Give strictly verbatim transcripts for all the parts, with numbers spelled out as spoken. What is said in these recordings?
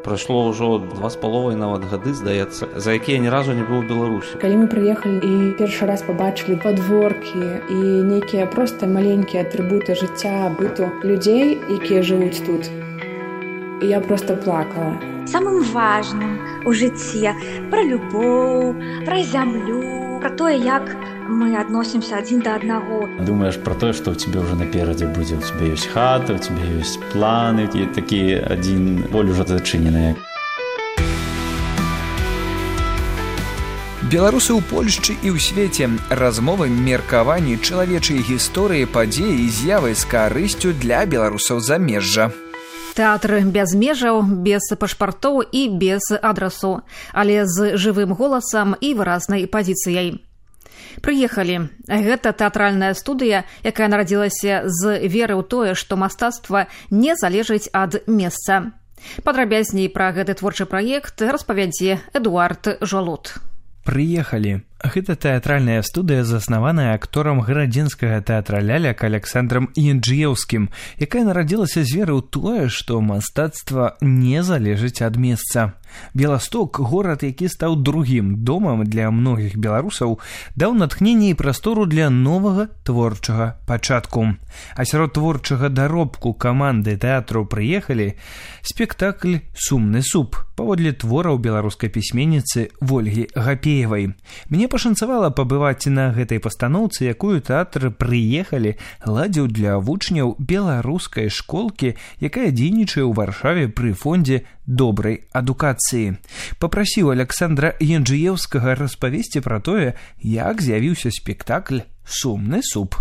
прайшло ўжо два з паловай нават гады, здаецца, за якія ні разу не быў у Беларусі. Калі мы прыехалі і першы раз пабачылі падворкі і нейкія проста маленькія атрыбуты жыцця, быту людзей, якія жывуць тут, я проста плакала. Самым важным у жыцці пра любоў, пра зямлю, пра тое, як мы адносімся адзін да аднаго. Думаешь про тое, што ў цябе ўжо наперадзе будзе, у цябе ёсць хата, у цябе ёсць планы, і такі адзін боль ужо зачыненая. Беларусы ў Польшчы і ў свеце. Размовы, меркаванні, чалавечай гісторыі, падзеі, з'явы з карысцю для беларусаў замежжа. Тэатр без межаў, без пашпартоў і без адрасу, але з жывым голасам і выразнай пазіцыяй. Прыехалі. Гэта тэатральная студыя, якая нарадзілася з веры ў тое, што мастацтва не залежыць ад месца. Падрабязней пра гэты творчы праект распавядзе Эдуард Жолуд. Прыехалі. Гэта тэатральная студыя, заснаваная акторам гарадзенскага тэатра ляляк Александрам Янджыеўскім, якая нарадзілася з веры ў тое, што мастацтва не залежыць ад месца. Беласток, горад, які стаў другім домам для многіх беларусаў, даў натхненне і прастору для новага творчага пачатку. А сярод творчага даробку каманды тэатру «Прыехалі» спектакль «Сумны суп» паводле твораў беларускай пісьменніцы Вольгі Гапеевай. Мне пашанцавала пабываць на гэтай пастаноўцы, якую тэатр «Прыехалі» ладзіў для вучняў беларускай школкі, якая дзейнічае ў Варшаве пры фондзе добрай адукацыі. Папрасіў Александра Янджыеўскага распавесці пра тое, як з'явіўся спектакль «Сумны суп».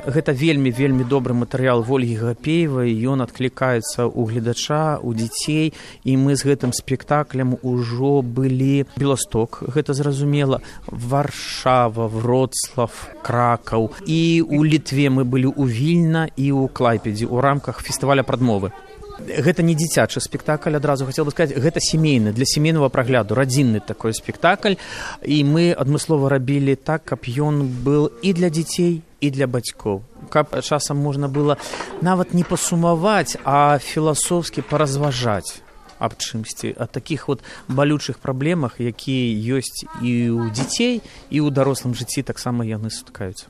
Гэта вельмі-вельмі добры матэрыял Вольгі Гапеевай, ён адклікаецца ў гледача, у дзяцей, і мы з гэтым спектаклем ужо былі Беласток, гэта зразумела, Варшава, Вроцлав, Кракаў, і ў Літве мы былі ў Вільна і ў Клайпедзе ў рамках фестываля прадмовы. Гэта не дзіцячы спектакль, адразу хацеў бы сказаць, гэта сямейны, для сямейнага прагляду, радзінны такой спектакль, і мы адмыслова рабілі так, каб ён быў і для дзяцей, і для бацькоў. Каб часам можна было нават не пасумаваць, а філасофскі паразважаць аб чымсьці, аб такіх вот балючых праблемах, якія ёсць і ў дзяцей, і ў дарослым жыцці таксама яны сутыкаюцца.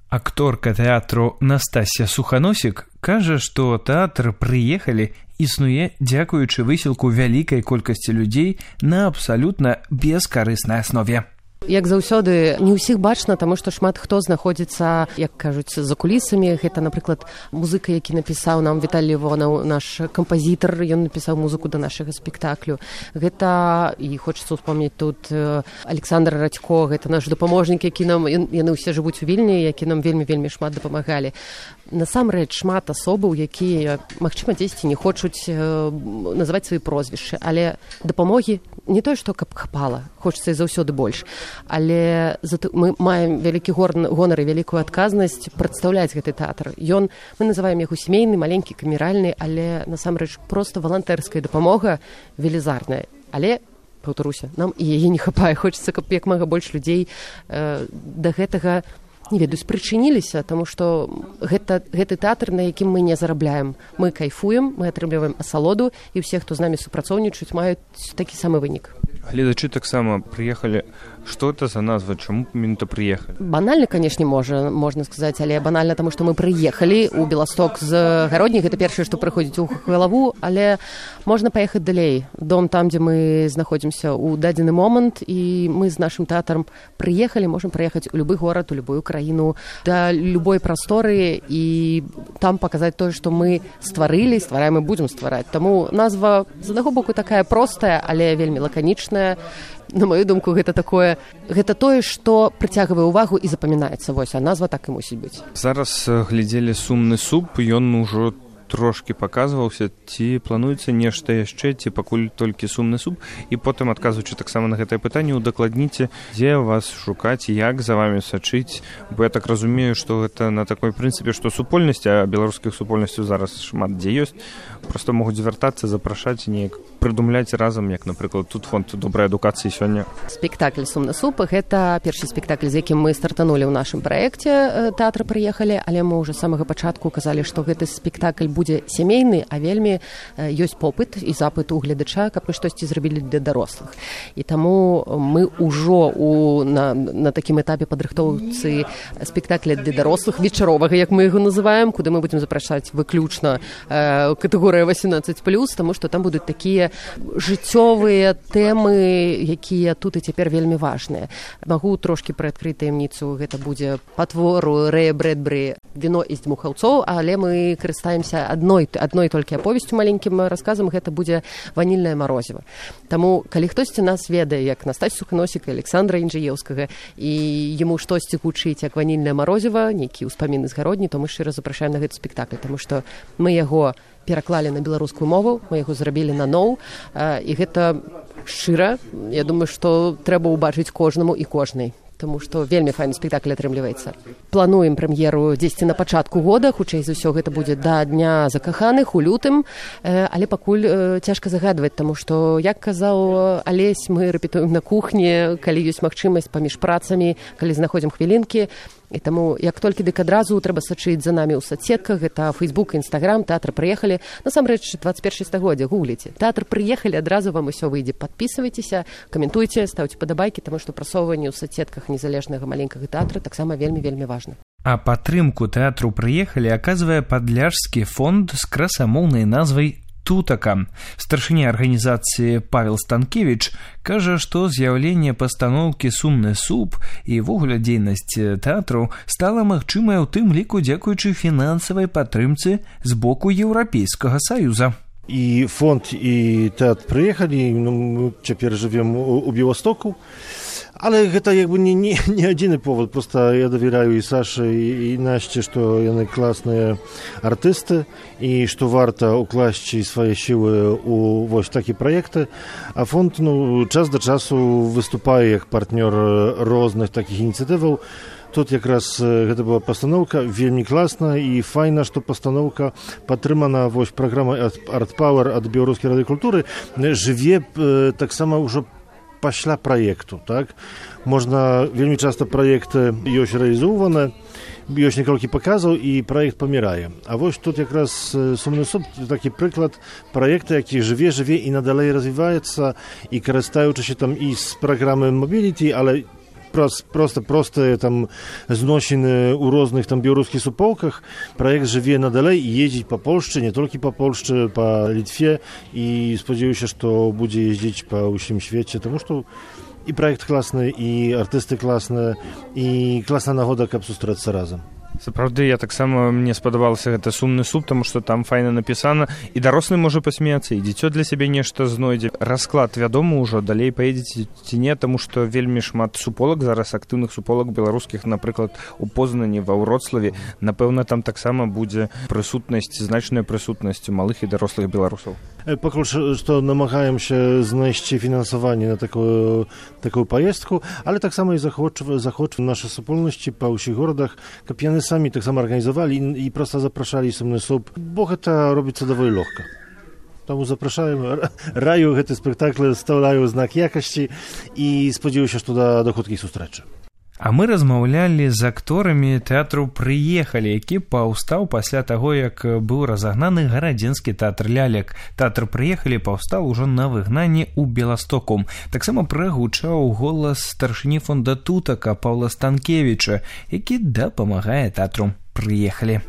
Акторка тэатру Настасья Суханосік кажа, што тэатр «Прыехалі» існуе дзякуючы высілку вялікай колькасці людзей на абсалютна бескарыснай аснове. Як заўсёды, не ўсіх бачна, таму што шмат хто знаходзіцца, як кажуць, за кулісамі. Гэта, напрыклад, музыка, які напісаў нам Віталій Івонаў, наш кампазітар, ён напісаў музыку да нашага спектаклю. Гэта, і хочацца ўспомніць тут, Александр Радзько, гэта наш дапаможнік, які нам, яны ўсе жывуць у Вільні, які нам вельмі-вельмі шмат дапамагалі. Насамрэч, шмат асобаў, якія, магчыма, дзесьці не хочуць называць свае прозвішчы, але дапамогі не тое, што каб хапала, хочацца і заўсёды больш. Але мы маем вялікі гонар і вялікую адказнасць прадстаўляць гэты тэатр. Ён, мы называем яго сямейны, маленькі, камеральны, але насамрэч проста валантэрская дапамога велізарная. Але, паўтаруся, нам і яе не хапае. Хочацца, каб як мага больш людзей э, да гэтага, не ведаю, спрычыніліся, таму што гэта, гэты тэатр, на якім мы не зарабляем. Мы кайфуем, мы атрымліваем асалоду, і ўсе, хто з намі супрацоўнічаюць, маюць такі самы вынік. Гледачы таксама прыехалі. Што гэта за назва? Чаму менавіта прыехалі? Банальна, канешне, можа, можна сказаць, але банальна, таму што мы прыехалі ў Беласток з Гародні. Гэта першае, што прыходзіць у галаву, але можна паехаць далей. Дом там, дзе мы знаходзімся ў дадзены момант, і мы з нашым тэатрам прыехалі, можам прыехаць у любы горад, у любую краіну, да любой прасторы, і там паказаць тое, што мы стварылі, ствараем і будзем ствараць. Таму назва, з аднаго боку, такая простая, але вельмі лаканічная. На мою думку, гэта такое, гэта тое, што прыцягвае ўвагу і запамінаецца. Вось, а назва так і мусіць быць. Зараз глядзелі «Сумны суп», ён ужо трошкі паказваўся, ці плануецца нешта яшчэ, ці пакуль толькі «Сумны суп». І потым, адказваючы таксама на гэтае пытанне, удакладніце, дзе вас шукаць, як за вамі сачыць. Бо я так разумею, што гэта на такой прынцыпе, што супольнасць, а беларускіх супольнасцяў зараз шмат дзе ёсць, проста могуць звяртацца, запрашаць неяк. прыдумляць разам, як, напрыклад, тут фонд добрай адукацыі сёння? Спектакль «Сумны суп» — гэта першы спектакль, з якім мы стартанулі ў нашым праекце «Тэатр прыехалі», але мы ўжо з самага пачатку казалі, што гэты спектакль будзе сямейны, а вельмі ёсць попыт і запыт у гледача, каб мы штосьці зрабілі для дарослых. І таму мы ўжо у, на, на такім этапе падрыхтоўцы спектакля для дарослых, вечаровага, як мы яго называем, куды мы будзем запрашаць выключна э, катэгорыя восемнадцаць плюс, таму што там будуць такія жыццёвыя тэмы, якія тут і цяпер вельмі важныя. Магу трошкі прыадкрыць таямніцу, гэта будзе па твору Рэя Брэдбері «Віно і дмухаўцоў», але мы карыстаемся адной, адной толькі аповесцю, маленькім расказам, гэта будзе «Ванільнае марозіва». Таму, калі хтосьці нас ведае, як Настасю Суханосіка, Александра Інжыеўскага, і яму штосьці гучыць як «Ванільнае марозіва», нейкі ўспаміны з гародні, то мы шчыра запрашаем на гэты спектакль, таму што мы яго пераклалі на беларускую мову, мы яго зрабілі наноў, і гэта шчыра. Я думаю, што трэба ўбачыць кожнаму і кожнай, таму што вельмі файны спектакль атрымліваецца. Плануем прэм'еру дзесьці на пачатку года, хутчэй за ўсё гэта будзе да Дня закаханых у лютым, але пакуль цяжка загадваць, таму што, як казаў Алесь, мы рэпетуем на кухні, калі ёсць магчымасць паміж працамі, калі знаходзім хвілінкі. І таму, як толькі дык адразу трэба сачыць за намі ў соцсетках, гэта Фейсбук, Інстаграм, «Тэатр прыехалі». Насамрэч, двадцать першае стагоддзе, гугліце. «Тэатр прыехалі», адразу вам усё выйдзе. Падпісвайцеся, каментуйце, ставьце падабайкі, таму што прасоўванне ў соцсетках незалежнага маленькага тэатра таксама вельмі-вельмі важна. А падтрымку «Тэатру прыехалі» аказвае падляшскі фонд з красамоўнай назвай «Тутака». Старшыня арганізацыі Павел Станкевич кажа, што з'яўленне пастаноўкі «Сумны суп» і ввогуле дзейнасць тэатру стала магчымая ў тым ліку дзякуючы фінансавай падтрымцы з боку Еўрапейскага Саюза. І фонд, і тэатр прыехалі, ну, мы цяпер жывем у, у Беластоку. Але гэта як бы не, не, не адзіны повод, просто я давяраю і Саше, і, і Насце, што яны класныя артысты, і што варта укласці свае сілы ў вось такі праекты. А фонд, ну, час да часу выступае як партнёр розных такіх ініцыятываў. Тут якраз гэта была пастаноўка вельмі класна і файна, што пастаноўка падтрымана вось праграмай Art Power ад Беларускай рады культуры жыве э, таксама ўжо пасля праекту, так? Можна, вельмі часта праекты ёсць рэалізоўваны, ёсць некалькі паказаў і праект памірае. А вось тут якраз «Сумны суп» такі прыклад праекта, які жыве, жыве і надалей развіваецца, і карыстаючыся там і з праграмы Mobility, але просто простыя там зносіны ў розных там беларускіх суполках. Праект жыве надалей, ездзіць па Польшчы, не толькі па Польшчы, па Літве, і спадзяюся, што будзе ездзіць па ўсім свеце, таму што і праект класны, і артысты класныя, і класная нагода, каб сустрэцца разам. Сапраўды, я таксама, мне спадабалася гэта «Сумны суп», таму што там файна напісана, і дарослы можа пасмяяцца, і дзіцё для сябе нешта знойдзе. Расклад вядомы ўжо, далей паедзеце ці не, таму што вельмі шмат суполак зараз, актыўных суполак беларускіх, напрыклад, у Познані, ва Вроцлаве. Напэўна, там таксама будзе прысутнасць, значная прысутнасць малых і дарослых беларусаў. Пакуль што намагаемся знайсці фінансаванне на такую, такую паездку, але таксама і захочваем нашы супольнасці па ўсіх горадах, каб яны самі таксама арганізавалі і, і проста запрашалі «Сумны суп», бо гэта робіцца даволі лёгка. Таму запрашаем, раю гэты спектакль, стаўляю знак якасці і спадзяюся, што да, да хуткіх сустрэчы. А мы размаўлялі з акторамі тэатру «Прыехалі», які паўстаў пасля таго, як быў разагнаны гарадзенскі тэатр лялек. Тэатр «Прыехалі» паўстаў ужо на выгнанні ў Беластоку. Таксама прагучаў голас старшыні фонда «Тутака» Паўла Станкевіча, які дапамагае тэатру «Прыехалі».